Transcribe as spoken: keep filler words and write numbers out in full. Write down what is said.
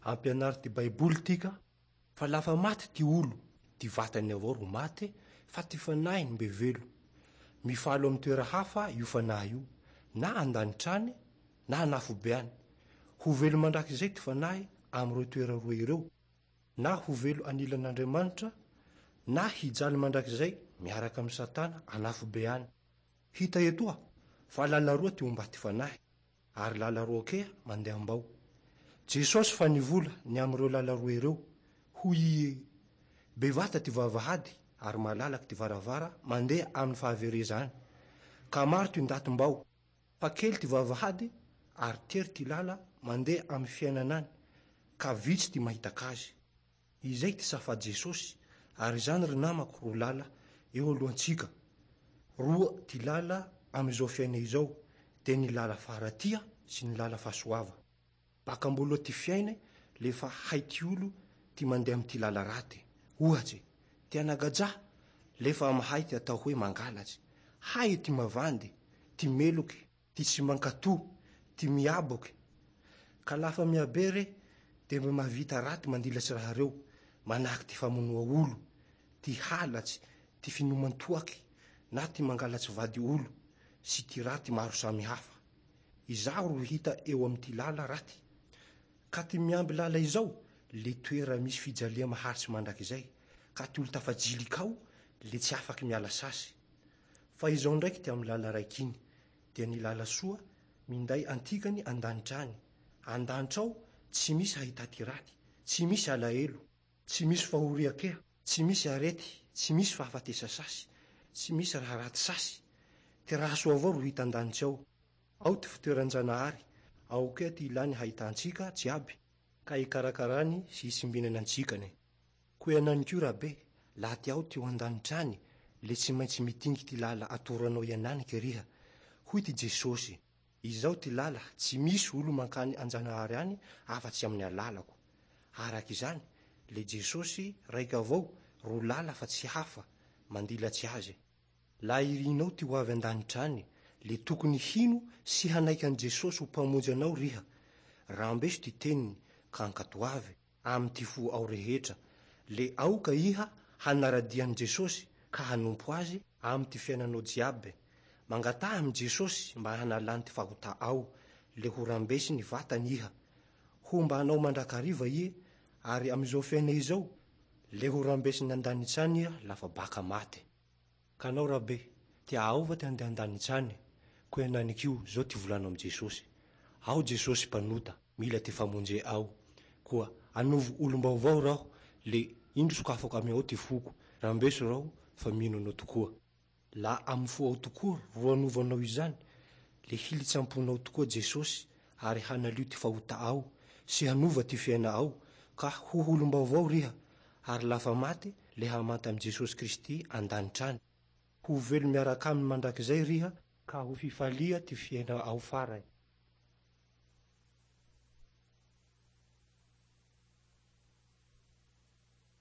Ampianary ty Baiboly tika fa lafa maty ty olo, ty vatany avao ro maty fa ty fanahiny mbe velo. Mifalo amy toera hafa io fanahy io, na an-danitra any na an'afobe any. Ho velo mandrakizay ty fanahy am'ireo toera roa ireo, na ho velo anilan'Andriamanitra na hijaly mandrakizay miaraka amin'ny Satana an'afobe any. Hita etoa fa lala roa ty omba ty fanahy, ary lala roa kea mandeha ambao. Jesosy fa nivola ny am'ireo lala roa ireo, hoy i bevata ty vavahady ary malalaky ty varavara mandeha amin'ny fahavereza any. Ka maro ty ndaty mbao, fa kely ty vavahady ary tery ty lala mandeha amin'ny fiainana any, ka vitsy ty mahitaka azy. Izay ty safa Jesosy, ary izany ry namako ro lala eo alohantsika. Roa ty lala am'izao fiaina izao, de ny lala faharatia sy ny lala fahasoava. Baka amboloa ty fiaina le fa hay ty olo ty mandeha amy ty lala raty. Ohatsy, ty anagaja lefa mahay ty atao hoe mangalatsy. Hay ty mavandy, ty meloky, ty tsy mankato, ty miaboky. Ka lafa miabe re, de mba mahavita raty mandilatsy raha reo, manahaky ty famonoa olo, ty halatsy, ty finoman-toaky, na ty mangalatsy vady olo, sy ty raty maro samihafa. Izaho ro hita eo amy ty lala raty. Ka ty miamby lala izao, le toera misy fijalia maharitsy mandrakizay. Ka ty olo tafajiliky ao, le tsy afaky miala sasy. Fa izao ndraiky ty amy lala raiky iny, dia ny lala soa minday antikany an-danitra any. An-danitra ao tsy misy ahita ty raty, tsy misy alahelo, tsy misy fahoria kea, tsy misy arety, tsy misy fahafatesa sasy, tsy misy raha raty sasy. Ty raha soa avao ro hita an-danitra ao. Ao ty fitoeran-janahary, ao kea ty ilany hahitantsika jiaby, ka hikarakarany sy hisimbinany antsikany. Koa ianany ko rabe, laha ty ao ty ho an-danitra any, le tsy maintsy mitingy ty lala atoranao iananiky riha. Hoy ty Jesosy, izao ty lala, tsy misy olo mankany an-janahary any afa-tsy amin'ny alalako. Araky izany, le Jesosy raiky avao ro lala fa tsy hafa, mandilatsy azy. Laha irinao ty ho avy an-danitra any, le tokony hino sy hanaiky an'i Jesosy ho mpamonjy anao riha. Rambeso ty teniny ka ankatoavy amy ty fo ao rehetra. Le aoka iha hanaradia an'i Jesosy ka hanompo azy amy ty fiainanao jiaby. Mangataha amy Jesosy mba hanalany ty fahota ao, le ho rambesy ny vatany iha. Homba anao mandrakariva ie, ary am'izao fiaina izao, le ho rambesiny an-danitra any iha lafa baka maty. Ka anao rabe, tia aova ty handeha an-danitra any, koa iananikio zao ty volano amy Jesosy. Ao Jesosy mpanota, mila ty famonje ao. Koa anovo olom-baovao raho, le indro sokafako amy ao ty foko, rambeso raho fa mino anao tokoa. La amy fo ao tokoa ro anovanao izany, le hilitsy am-ponao tokoa Jesosy, ary hanalio ty fahota ao, sy hanova ty fiaina ao, ka ho olom-baovao riha, ary lafa maty, le hamanta amy Jesosy Kristy an-danitra any. Ho velo miaraka aminy mandrakizay riha, ka ho fifalia ty fiaina ao farany.